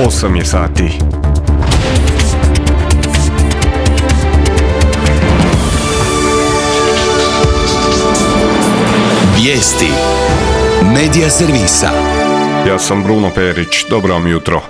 8 je sati. Vijesti Medija servisa. Ja sam Bruno Perić, dobro vam jutro.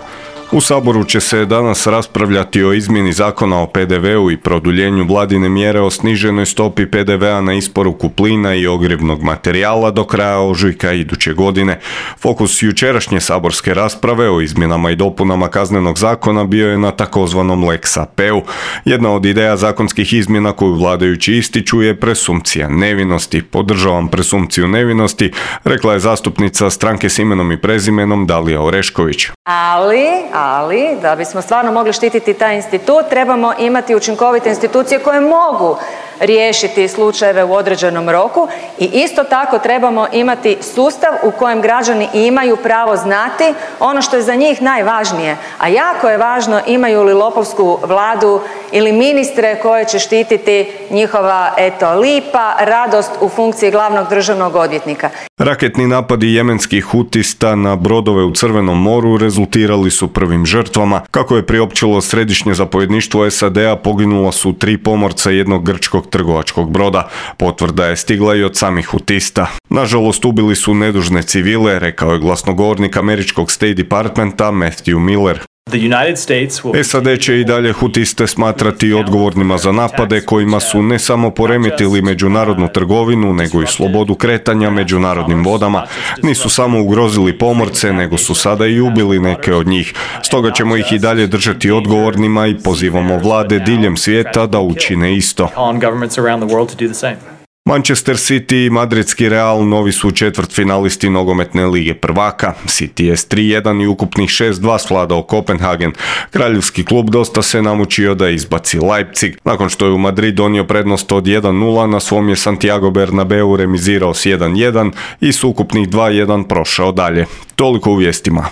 U Saboru će se danas raspravljati o izmjeni zakona o PDV-u i produljenju vladine mjere o sniženoj stopi PDV-a na isporuku plina i ogrjevnog materijala do kraja ožujka iduće godine. Fokus jučerašnje saborske rasprave o izmjenama i dopunama Kaznenog zakona bio je na takozvanom Lex AP-u. Jedna od ideja zakonskih izmjena koju vladajući ističu je presumpcija nevinosti. Podržavam presumpciju nevinosti, rekla je zastupnica Stranke s imenom i prezimenom Dalija Orešković. Ali, da bismo stvarno mogli štititi taj institut, trebamo imati učinkovite institucije koje mogu riješiti slučajeve u određenom roku i isto tako trebamo imati sustav u kojem građani imaju pravo znati ono što je za njih najvažnije, a jako je važno imaju li lopovsku vladu ili ministre koje će štititi njihova, lipa radost u funkciji glavnog državnog odvjetnika. Raketni napadi jemenskih hutista na brodove u Crvenom moru rezultirali su prvim žrtvama. Kako je priopćilo središnje zapovjedništvo SAD-a, poginula su 3 pomorca jednog grčkog trgovačkog broda. Potvrda je stigla i od samih hutista. Nažalost, ubili su nedužne civile, rekao je glasnogovornik američkog State Departmenta Matthew Miller. SAD će i dalje hutiste smatrati odgovornima za napade kojima su ne samo poremetili međunarodnu trgovinu, nego i slobodu kretanja međunarodnim vodama. Nisu samo ugrozili pomorce, nego su sada i ubili neke od njih. Stoga ćemo ih i dalje držati odgovornima i pozivamo vlade diljem svijeta da učine isto. Manchester City i madridski Real novi su četvrtfinalisti nogometne lige prvaka. City je s 3-1 i ukupnih 6-2 svladao Kopenhagen. Kraljevski klub dosta se namučio da izbaci Leipzig. Nakon što je u Madrid donio prednost od 1-0, na svom je Santiago Bernabeu remizirao s 1-1 i s ukupnih 2-1 prošao dalje. Toliko u vijestima.